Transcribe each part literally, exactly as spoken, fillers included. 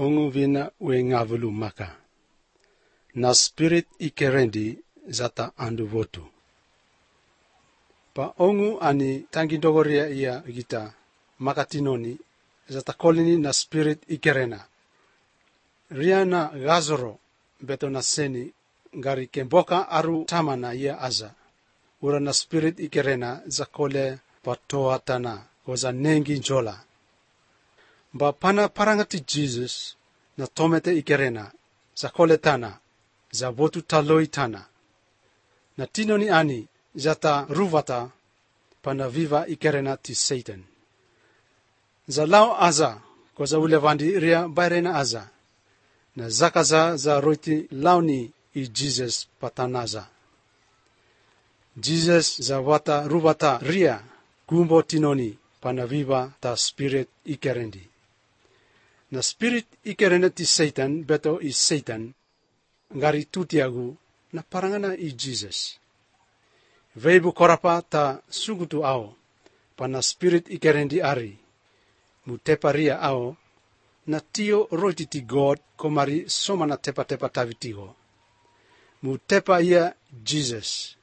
ongu vina we ngavulu maka. Na spirit ikerendi zata andu votu. Pa ongu ani tangi dogoria ia gita makatinoni zata kolini na spirit ikerena. Riana gazoro beto na seni gari kemboka aru tamana ia aza. Ura na spirit ikerena za kole patoa tana koza nengi njola. Ba pana parangati Jesus na tomete ikerena za kole tana za votu taloi tana. Na tinoni ani zata ruvata pana viva ikerena ti Satan. Za lao aza koza ulevandi ria bairena aza. Na zakaza za roiti launi i Jesus patanaza. Jesus za wata ruvata ria gumbo tinoni pana viva ta spirit ikerendi. Na spirit ikerena ti Satan beto i Satan ngari tutiagu na parangana i Jesus. Veibu korapa ta sugutu ao pana spirit ikerendi ari. Mutepa ria ao na tio roiti ti God komari soma na tepa tepa tavitigo. Mutepa ia Jesus.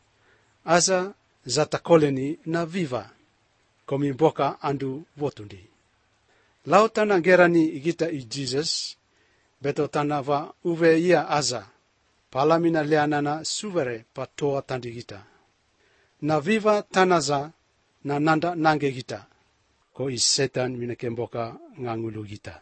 Aza zata koleni na viva komimboka andu votundi. Lau tana gerani igita i Jesus beto tana va uve ia aza palamina leanana suvere patoa tandi gita. Na viva tanaza na nanda nange gita ko i Satan minakemboka ngangulu gita.